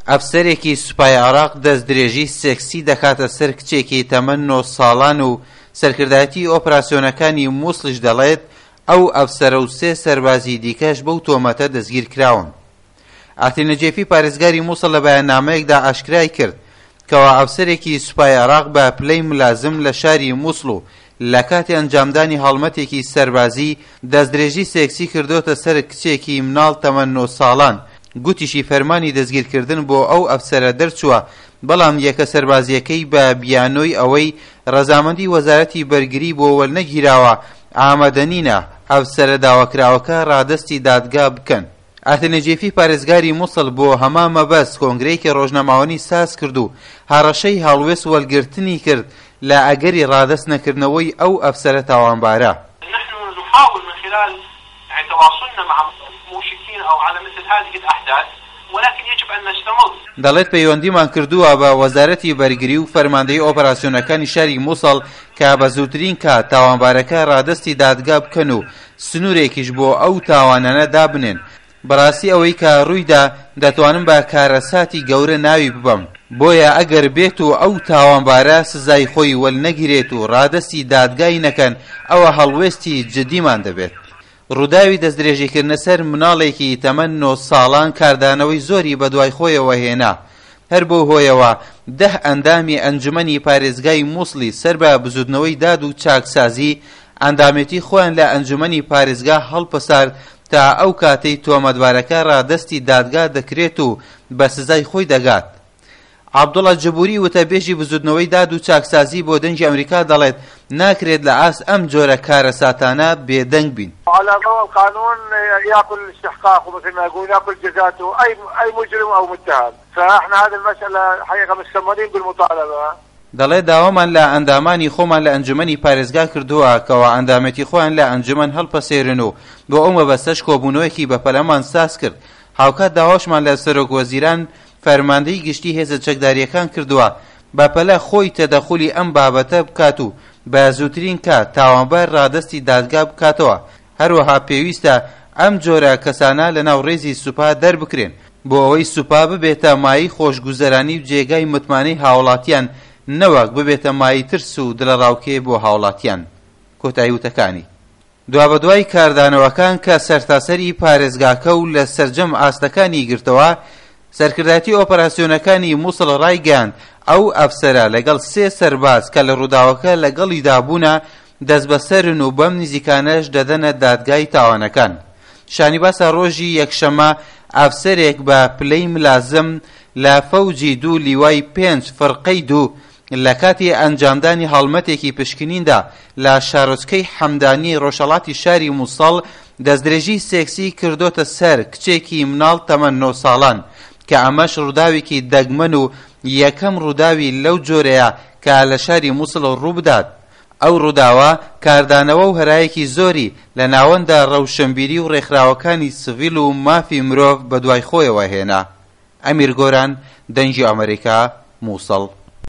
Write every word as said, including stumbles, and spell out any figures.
ئەفسەرێکی سوپای عێراق دەستدرێژی سێکسی دەکاتە سەر کچێکی تەمەن نۆ ساڵان و سەرکردایەتی ئۆپراسیۆنەکانی موسڵیش دەڵێت ئەو ئەفسەرە و سێ سەربازی دیکەش بەو تۆمەتە دەستگیر کراون. ئاتی نەجێفی پارێزگاری موسڵ لە بەیاننامەیەکدا ئاشکرای کرد کەوا ئەفسەرێکی سوپای عێراق بە پلەی ملازم لە شاری موسڵ و لە کاتی ئەنجامدانی هەڵمەتێکی سەربازی دەستدرێژی سێکسی کردۆتە سەر کچێکی مناڵ تەمەن نۆ ساڵان. گوتیشی فەرمانی دەستگیرکردن بۆ ئەو ئەفسەرە دەرچووە، بەڵام یەکە سەربازیەکەی بە بیانۆی ئەوەی ڕەزامەندی وەزارەتی بەرگری بۆ وەرنەگیراوە ئامادەنینە ئەفسەرە داواکراوەکە ڕادەستی دادگا بکەن. ئاتی نەجێفی پارێزگاری موسڵ بۆ هەمان مەبەست کۆنگرەیەکی ڕۆژنامەوانی ساز کرد و هەڕەشەی هەڵوێست وەرگرتنی کرد لە ئەگەری ڕادەست نەکردنەوەی ئەو ئەفسەرە تاوانبارە. نحن نحاول من خلال يعني تواصلنا مع موشكين أو على مثل هذه الأحداث، ولكن يجب أن نستمر. دەڵێت پەیوەندیمان کردووە بە وەزارەتی بەرگری و فەرماندەی ئۆپەراسیۆنەکانی شاری موسڵ کە بە زووترین کات تاوانبارەکە ڕادەستی دادگا بکەن و سنوورێکیش بۆ ئەو تاوانانە دابنێن. بەڕاستی ئەوەی کە ڕوویدا دەتوانم بە کارەساتی گەورە ناوی ببەم، بۆیە ئەگەر بێت و ئەو تاوانبارە سزای خۆی وەرنەگیرێت و ڕادەستی دادگای نەکەن ئەوە هەڵوێستی جدیمان دەبێت. ڕووداوی دەستدرێژیکردنە سەر مناڵێکی تەمەن نۆ ساڵان کاردانەوەی زۆری بەدوای خۆیەوە هێنا. هەر بۆ هۆیەوە دە ئەندامی ئەنجومەنی پارێزگای موسڵی سەر بە بزوتنەوەی داد و چاکسازی ئەندامێتی خۆیان لە ئەنجومەنی پارێزگا هەڵپەسارد تا ئەو کاتەی تۆمەتبارەکە ڕادەستی دادگا دەکرێت و بە سزای خۆی دەگات. عەبدوڵا جبوری وتەبێژی بزوتنەوەی داد و چاکسازی بۆ دەنگی ئەمریکا دەڵێت ناکرێت لە ئاست ئەم جۆرە کارەساتانە بێدەنگ بین. على ضوء القانون ياكل استحقاقه مثل ما يقول، ياكل جزاته اي اي مجرم او متهم، فاحنا هذه المساله حقيقه مستمرين بالمطالبه. دەڵێت داوامان لە ئەندامانی خۆمان لە ئەنجومەنی پارێزگا کردووە کەوا ئەندامێتی خۆیان لە ئەنجومەن هەڵپەسێرن و بۆ ئەو مەبەستەش کۆبوونەوەیەکی بەپەلەمان ساز کرد. هاوکات داواشمان لە سەرۆک وەزیران فەرماندەی گشتی هێزە چەکداریەکان کردووە بەپەلە خۆی تەدەخولی ئەم بابەتە بکات و بە زووترین کات تاوانبار ڕادەستی دادگا بکاتەوە. هەروەها پێویستە ئەم جۆرە کەسانە لەناو ڕێزی سوپا دەربکرێن بۆ ئەوەی سوپا ببێتە مایەی خۆشگوزەرانی و جێگای متمانەی هاوڵاتیان، نەوەک ببێتە مایەی ترس و دڵەڕاوکێ بۆ هاوڵاتیان. کۆتایی وتەکانی. دوابەدوای کاردانەوەکان کە سەرتاسەری پارێزگاکە و لە سەرجەم ئاستەکانی گرتەوە، سەرکردایەتی ئۆپەراسیۆنەکانی موسڵ ڕایگەیاند ئەو ئەفسەرە لەگەڵ سێ سەرباز کە لە ڕووداوەکە لەگەڵیدا بوونە دەستبەسەرن و بەم نزیکانەش دەدەنە دادگای تاوانەکان. شانی باسە ڕۆژی یەکشەمە ئەفسەرێک بە پلەی ملازم لە فەوجی دوو لیوای پێنج فرقەی دوو لە کاتی ئەنجامدانی هەڵمەتێکی پشکنیندا لە شارۆچکەی حەمدانی ڕۆژهەڵاتی شاری موسڵ دەستدرێژی سێکسی کردۆتە سەر کچێکی مناڵ تەمەن نۆ ساڵان، کە ئەمەش ڕووداوێکی دەگمەن و یەکەم ڕووداوی لەو جۆرەیە کە لە شاری موسڵ ڕووبدات. ئەو ڕووداوە کاردانەوە و هەرایەکی زۆری لە ناوەندە ڕەوشنبیری و ڕێکخراوەکانی سڤیل و مافی مرۆڤ بەدوای خۆیەوە هێنا. ئەمیر گۆران، دەنگی ئەمریکا، موسڵ.